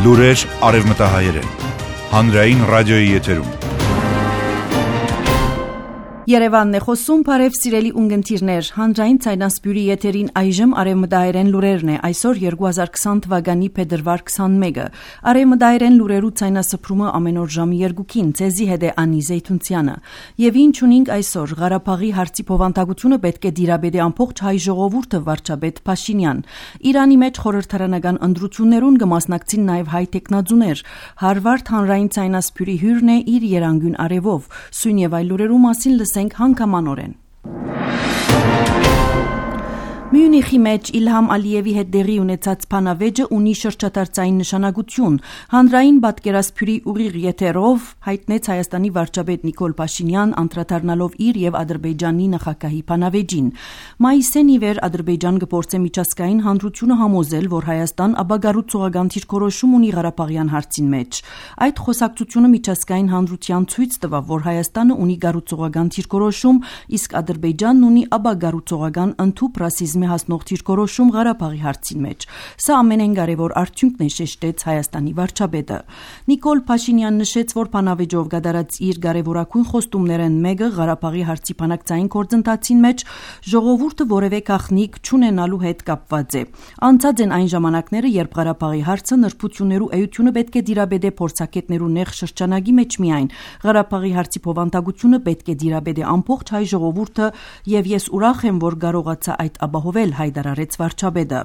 Լուրեր արևմտահայերեն, հանրային ռադիոյի եթերում։ Երևանն է խոսում, բարև սիրելի ունգընտիրներ, հանրային ցայնասպյուրի եթերին այժմ արևմտահայերեն լուրերն է, այսօր 2020 թվականի փետրվար 21-ը, արևմտահայերեն լուրերու ցայնասփրումը ամեն օր ժամի 2-ին, ձեզի հետ է Անի Զեյթունցյանը, եւ ինչ ունենք այսօր, Ղարաբաղի հարցի փոխանցությունը պետք է դիրաբեդի ամբողջ հայ ժողովուրդը վարչապետ Փաշինյան, Իրանի մեջ խորհրդարանական ընտրություններուն կմասնակցին նաեւ հայ տեխնազուներ, Հարվարդ հանրային ցայնասպյուրի հյուրն է իր երանգուն արևով, սույն եւ այլ լուրերու մասին հանգամանորեն։ Մյունիխի մեջ Իլհամ Ալիևի հետ դեղի ունեցած փանավեճը ունի շրջադարձային նշանակություն։ Հանրային պատկերասփյուրի ուղիղ եթերով հայտնեց Հայաստանի վարչապետ Նիկոլ Փաշինյան անդրադառնալով իր եւ Ադրբեջանի նախագահի փանավեճին։ Մայիսին ի վեր Ադրբեջան գործե միջազգային հանրությունը համոզել, որ Հայաստան ապագառուցողական դիրքորոշում ունի Ղարաբաղյան հարցին մեջ։ Այդ խոսակցությունը միջազգային հանրության ցույց տվավ, որ Հայաստանը ունի գառուցողական դիրքորոշում, իսկ Ադրբեջանն ունի ապագառուցողական ընդհուպ ռասիզմ հասնող դիրքորոշում Ղարաբաղի հարցին մեջ։ Սա ամենեն կարևոր արդյունքն է, շեշտեց Հայաստանի վարչապետը։ Նիկոլ Փաշինյանն նշեց, որ փանավեճով գդարած իր կարևորագույն խոստումներն մեկը Ղարաբաղի հարցի բանակցային գործընթացին մեջ ժողովուրդը որևէ գաղտնիք չունենալու հետ կապված է։ Անցած են այն ժամանակները, երբ Ղարաբաղի հարցը նրբություններու էությունը պետք է դիրաբեդե փորձակետներու նեղ շրջանագի մեջ միայն։ Ղարաբաղի հարցի փոխանցությունը պետք է դիրաբեդե ամբողջ հայ ժողովուրդը, եւ ես ուրախ եմ, որ կարողացա այդ ապահովել, հայտարարեց վարչապետը։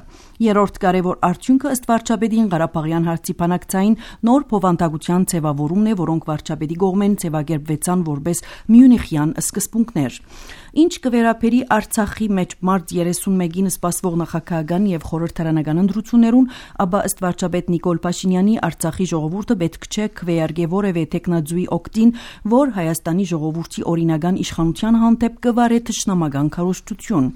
Երրորդ կարևոր արդյունքը ըստ վարչապետին Ղարաբաղյան հարցի բանակցային նոր փոխանցության ձևավորումն է, որոնք վարչապետի կողմեն ձևակերպվեցան որպես Մյունիխյան սկզբունքներ։ Ինչ կվերապերի Արցախի մեջ մարտ 31-ին սպասվող նախագահական եւ խորհրդարանական ընտրություններուն, ապա ըստ վարչապետ Նիկոլ Փաշինյանի Արցախի ժողովուրդը պետք չէ քվեարկե որևէ տեխնազուի օգտին, որ Հայաստանի ժողովրդի օրինական իշխանության հանդեպ կվարե թշնամական քարոզչություն։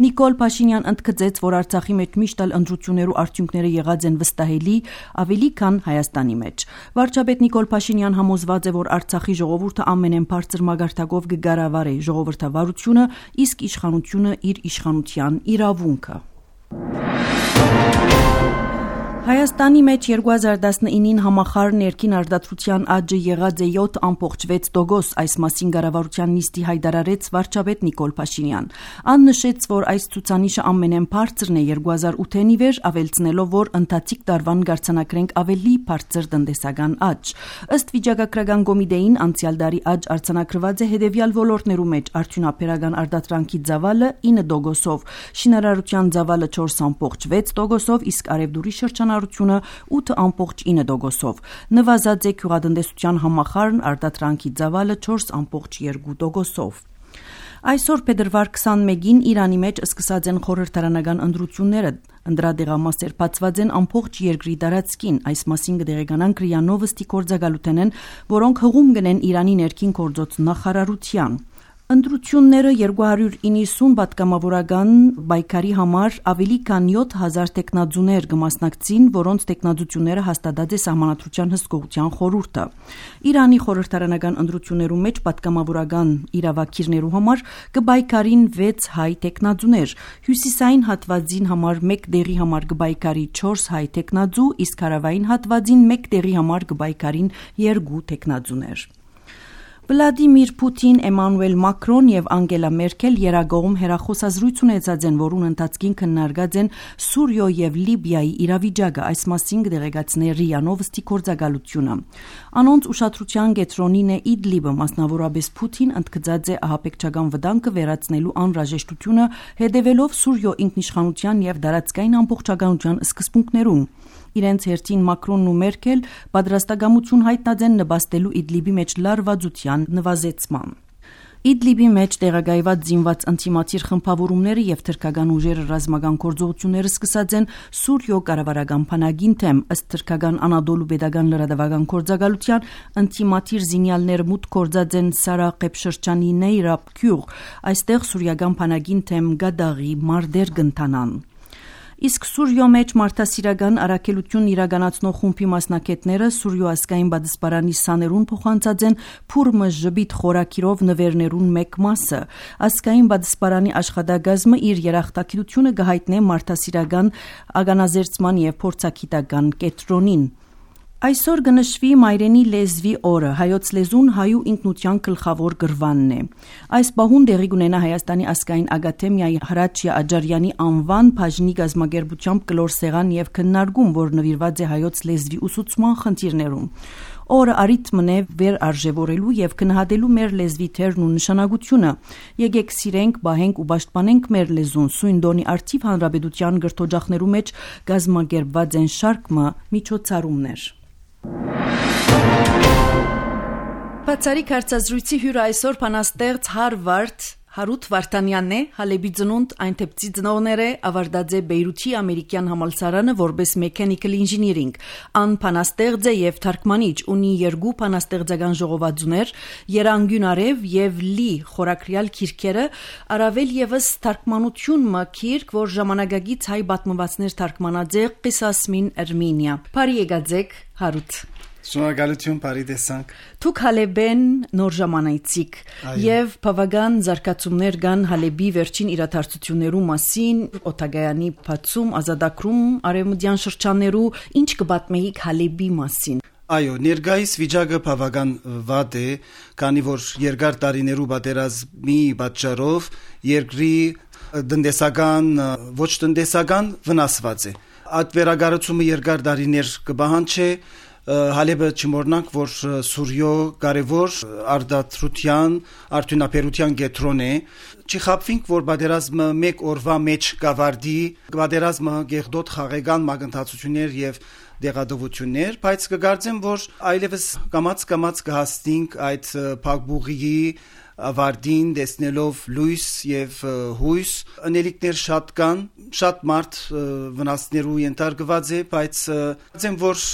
Նիկոլ Փաշինյան ընդգծեց, որ Արցախի մեջ միշտ էլ ընտրություններու արդյունքները եղած են վստահելի, ավելի քան Հայաստանի մեջ։ Վարչապետ Նիկոլ Փաշինյան համոզված է, որ Արցախի ժողովուրդը ամենեն բարձր մագարտակով կգարավարի ժողովրդավարությունը, իսկ իշխանությունը իր իշխանության իրավունքը։ Հայաստանի մեջ 2019-ին համախառն ներքին արտադրության աճը եղած է 7.6%, այս մասին կառավարության նիստի հայտարարեց վարչապետ Նիկոլ Փաշինյան։ Ան նշեց, որ այս ցուցանիշը ամենեն բարձրն է 2008-ին ի վեր, ավելցնելով, որ ընթացիկ տարվան կարձանակրենք ավելի բարձր տնտեսական աճ։ Ըստ վիճակագրական կոմիտեին անցյալ տարի աճ արձանագրված է հետևյալ ոլորտներու մեջ՝ արդյունաբերական արտադրանքի ծավալը 9%, շինարարության ծավալը 4.6%, իսկ արևդուրի շրջանառությունը 8.9%, նվազած է գյուղատնտեսության համախառն արտադրանքի ծավալը 4.2%։ Այսօր փետրվար 21-ին Իրանի մեջ սկսած են խորհրդարանական ընտրությունները, ընդրադեղամասեր բացված են ամբողջ երկրի տարածքին, այս մասին կդեղեկանանք ՌԻԱ Նովոստի գործակալութենեն, որոնք հղում կնեն Իրանի ներքին գործոց նախարարության։ Ընտրությունները 290 պատգամավորական պայքարի համար ավելի քան 7000 տեխնազուներ կմասնակցին, որոնց տեխնազությունները հաստատած է Սահմանադրության հսկողության խորհուրդը։ Իրանի խորհրդարանական ընտրություններու մեջ պատգամավորական իրավակիրներու համար կպայքարին 6 հայ տեխնազուներ, հյուսիսային հատվածին համար 1 դեղի համար կպայքարի 4 հայ տեխնազու, իսկ հարավային հատվածին 1 դեղի համար կպայքարին 2 տեխնազուներ։ Վլադիմիր Պուտին, Էմանուել Մակրոն եւ Անգելա Մերքել երագողում հերախոսազրույց ունեցած են, որուն ընթացքին քննարկած են Սուրիո եւ Լիբիայի իրավիճակը, այս մասին կդեղեկացնի ՌԻԱ Նովոստի գործակալությունը։ Անոնց ուշադրության կենտրոնին է Իդլիբը, մասնավորապես Պուտին ընդգծած է ահաբեկչական վտանգը վերացնելու անհրաժեշտությունը, հետևելով Սուրիո ինքնիշխանության եւ տարածքային ամբողջականության սկզբունքներուն։ Իրենց հերթին Մակրոնն ու Մերքել պատրաստակամություն հայտնած են նպաստելու Իդլիբի մեջ լարվածության նվազեցման։ Իդլիբի մեջ տեղակայված զինված անտիմատիր խմբավորումները եւ թրքական ուժերը ռազմական գործողությունները սկսած են Սուրիո կառավարական բանակին թեմ, ըստ թրքական Անադոլու pedagogan լրատվական գործակալության անտիմատիր զինյալները մուտք գործած են Սարաղեբ շրջանի Նեյրաբ գյուղ, այստեղ սուրիական բանակին թեմ գադաղի մարտեր կընթանան։ Իսկ Սուրիո մեջ մարդասիրական առաքելություն իրականացնող խումբի մասնակիցները Սուրիո ազգային բադսպարանի սաներուն փոխանցած են Փուրմը ժբիտ խորակիրով նվերներուն մեկ մասը։ Ազգային բադսպարանի աշխատակազմը իր երախտագիտությունը կհայտնի մարդասիրական ագանազերծման եւ փորձագիտական կենտրոնին։ Այսօր կնշվի մայրենի լեզվի օրը, հայոց լեզուն հայու ինքնության գլխավոր գրվանն է։ Այս պահուն տեղի կունենա Հայաստանի ազգային ակադեմիայի Հրաչյա Աջարյանի անվան բաժնի գազագերբությամբ կլոր սեղան եւ քննարկում, որ նվիրված է հայոց լեզվի ուսուցման խնդիրներում։ Օրը արիթմն է վեր արժևորելու եւ գնահատելու մեր լեզվի թերն ու նշանակությունը։ Եկեք սիրենք, բահենք ու պաշտպանենք մեր լեզուն։ Սույն դոնի արդիվ հանրապետության գրթօջախներու մեջ գազագերբված են շարքը միջոցառումներ։ Բացարիք հարցազրույցի հյուրը այսօր բանաստեղծ Հարութ Վարդանյանն է, Հալեբի ծնունդ այնտեպցի ծնողները ավարտած է Բեյրութի ամերիկյան համալսարանը որպես mechanical engineering, ան բանաստեղծ է եւ թարգմանիչ, ունի 2 բանաստեղծական ժողովածուներ, Երանգուն արև եւ Լի խորակրյալ քիրքերը, առավել եւս թարգմանություն մը քիրք, որ ժամանակագից հայ պատմվածներ թարգմանած է Qisasmin Armenia։ Բարի եկածեք, Հարութ։ Շնորհակալություն, բարի տեսանք։ Դուք Հալեբեն նոր ժամանակցիկ եւ բավական զարգացումներ կան Հալեբի վերջին իրադարձություններու մասին, Օթագայանի բացում, ազատագրում, արևմտյան շրջաններու, ինչ կպատմեիք Հալեբի մասին։ Այո, ներկայիս վիճակը բավական վատ է, քանի որ երկար տարիներու պատերազմի պատճառով երկրի տնտեսական, ոչ տնտեսական վնասված է։ Այդ վերագառուցումը երկար տարիներ կպահանջի Հալեբը չմոռնանք, որ Սուրյո կարևոր արդարության, արդյունաբերության կենտրոն է։ Չխաբվենք, որ պատերազմը մեկ օրվա մեջ կավարտի, պատերազմը գեղդոտ խաղաղան մագնտացություններ եւ դեղադվություններ, բայց կգարձեմ, որ այլևս կամաց կհասնենք այդ փակբուղի ավարտին, տեսնելով լույս եւ հույս, անելիքներ շատ կան, շատ մարդ վնասներու ենթարկված է, բայց ասեմ, որ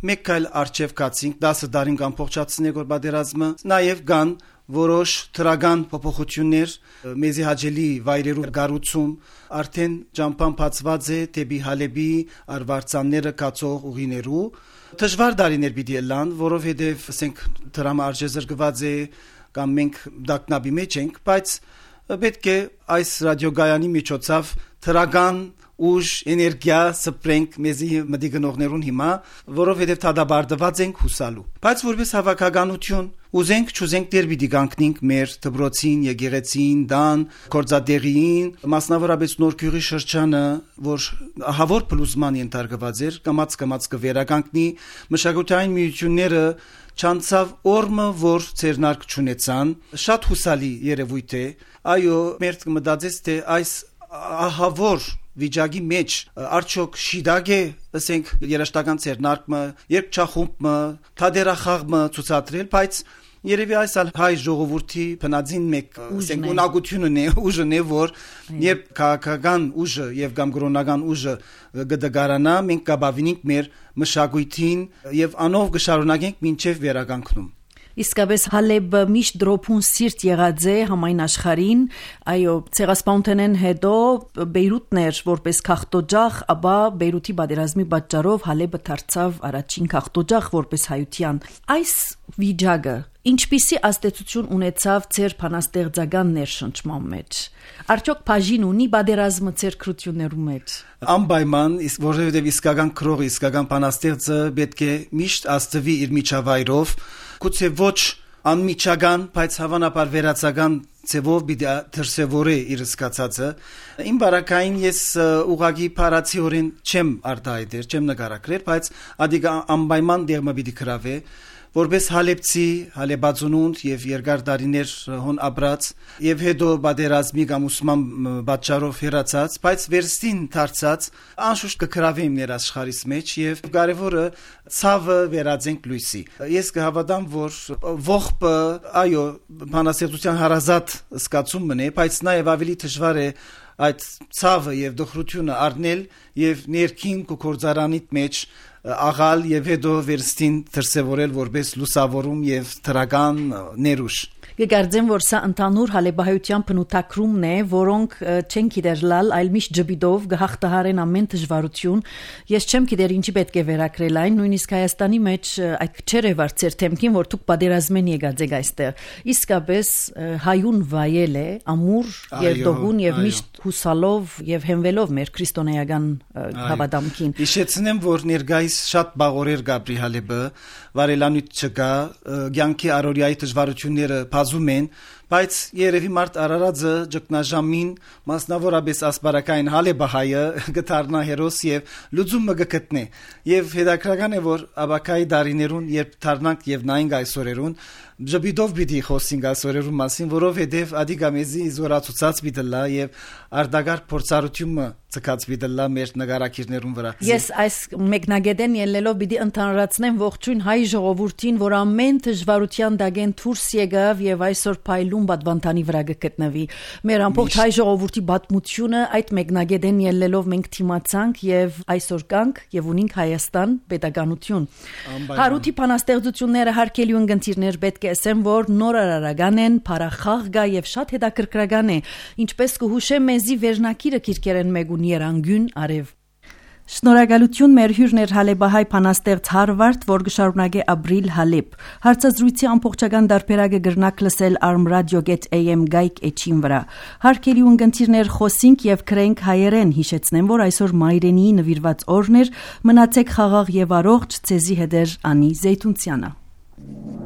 մեկ այլ արժև կացինք 10 տարին ամբողջացնենք որ պատերազմը, նաեւ կան որոշ թրագան փոփոխություններ, մեզի հաջելի վայրերու գառուցում, արդեն ճամփան բացված է դեպի Հալեբի արվարձանները կացող ուղիներու, դժվար տարիներ պիտի լան, որովհետեւ ասենք դրամը արժեզրկված է կամ մենք դակնաբի մեջ ենք, բայց պետք է այս ռադիոգայանի միջոցով թրագան ուժ, էներգիա սպրենք մեզի մտիգնողներուն հիմա, որովհետև թադաբարդված ենք հուսալու։ Բայց որպես հավաքականություն ուզենք չուզենք դեր պիտի կանգնենք մեր դպրոցին, եկեղեցին, դան, գործադեղին, մասնավորապես Նորքյուղի շրջանը, որ ահավոր փլուզման ենթարկված էր, կամաց կվերականգնի, մշակութային միությունները չանցավ օրը, որ ցերնարկ չունեցան, շատ հուսալի երևույթ է, այո, մեր կմտածես, թե այս ահավոր վիճակի մեջ արդյոք շիդագ է, ասենք, երաշտական ցերնարկը, երկչախումբը, թադերախաղը ցուցադրել, բայց երևի այս հայ ժողովրդի բնածին մեկ ասենք ունակությունն է, ուժն է, որ երբ քաղաքական ուժը եւ կամ կրոնական ուժը գդգարանա, մենք կբավինենք մեր մշակույթին եւ անով կշարունակենք մինչեւ վերականգնում։ Իսկապես Հալեբը միշտ դրոփուն սիրտ եղած է համայն աշխարհին, այո, ցեղասպանութենեն հետո Բեյրութներ որպես քաղտոջախ, ապա Բեյրութի պատերազմի պատճառով Հալեբը դարձավ առաջին քաղտոջախ որպես հայության։ Այս վիճակը ինչպիսի ազդեցություն ունեցավ ձեր բանաստեղծական ներշնչման մեջ։ Արդյոք բաժին ունի պատերազմը ձեր քրություններու մեջ։ Անպայման, որովհետև իսկական քրողը, իսկական բանաստեղծը պետք է միշտ աստվի իր միջավայրով, գուցե ոչ անմիջական, բայց հավանաբար վերացական ձևով պիտի դրսևորի իր սկացածը։ Իմ բարակային ես ուղղակի փարացիորեն չեմ արտահայտել, չեմ նկարագրել, բայց ադիգա անպայման դերմը պիտի գրավե, որպես հալեբցի, հալեբածունունդ եւ երկար տարիներ հոն ապրած եւ հետո պատերազմի կամ ուսման պատճառով հեռացած, բայց վերստին դարձած անշուշտ կգրավեմ ներ աշխարհիս մեջ եւ կարեւորը ցավը վերածենք լույսի։ Ես կհավատամ, որ ողբը, այո, բանաստեղծության հարազատ սկացումն է, բայց նաեւ ավելի դժվար է այդ ցավը եւ դխրությունը առնել եւ ներքին կորձարանիտ մեջ աղալ եւ հետո վերստին դրսևորել որպես լուսավորում եւ թրական ներուժ։ Կգարձեմ, որ սա ընդհանուր հալեբահայության բնութագրումն է, որոնք չեն գիտեր լալ, այլ միշտ ջբիդով գահտահարեն ամեն դժվարություն։ Ես չեմ գիտեր ինչի պետք է վերակրել այն, նույնիսկ Հայաստանի մեջ այդ քչերը վարձեր թեմքին, որ դուք պատերազմեն եկած եք այստեղ։ Իսկապես հայուն վայել է, ամուր եւ դողուն եւ միշտ հուսալով եւ հենվելով մեր քրիստոնեական հավատամքին։ Հիշեցնեմ, որ ներկայիս այսպես շատ բաղորեր Գաբրի Հալեբը, վարելանույթ չկա, ցանկի առօրյայի դժվարությունները բազում են, բայց երևի մարդ Արարածը ճգնաժամին մասնավորապես ասպարակային Հալեբահայը գտարնա հերոս եւ լուծումը գտնե եւ հետաքրական է որ աբակայի դարիներուն երբ դառնանք եւ նայենք այսօրերուն Ժբիդով պիտի խոսենք այսօրերուն մասին, որովհետև ադիգամեզի զորացուցած պիտելա եւ արդագար փորձառությունը ցկած պիտելա մեր նկարակիրներուն վրա։ Ես այս մեկնագետեն ելնելով պիտի ընդհանրացնեմ ողջույն հայ ժողովրդին, որ ամեն դժվարության դագեն դուրս եկավ եւ այսօր փայլուն բադվանտանի վրա գտնվի։ Մեր ամբողջ հայ ժողովրդի բադմությունը այդ մեկնագետեն ելնելով մենք թիմացանք եւ այսօր կանք եւ ունենք Հայաստան պետականություն։ Հարութի բանաստեղծությունները հարկելի ունգընտիրներ պետք է ասեմ, որ նոր արարական են, փարախաղ գա եւ շատ հետաքրքրական է, ինչպես կհուշեմ մեզի վերնակիրը քիրքերեն մեգուն երանգուն արև։ Շնորհակալություն մեր հյուրներ Հալեբահայ բանաստեղծ Հարվարդ, որ գշարունակե ապրիլ Հալեբ։ Հարցազրույցի ամբողջական դարբերակը գրնակ լսել armradio.am գայք էջին վրա։ Հարկելի ունգընտիրներ խոսենք եւ քրենք հայերեն, հիշեցնեմ, որ այսօր մայրենի նվիրված օրն էր, մնացեք խաղաղ եւ առողջ, ցեզի հետեր Անի Զեյթունցյանը։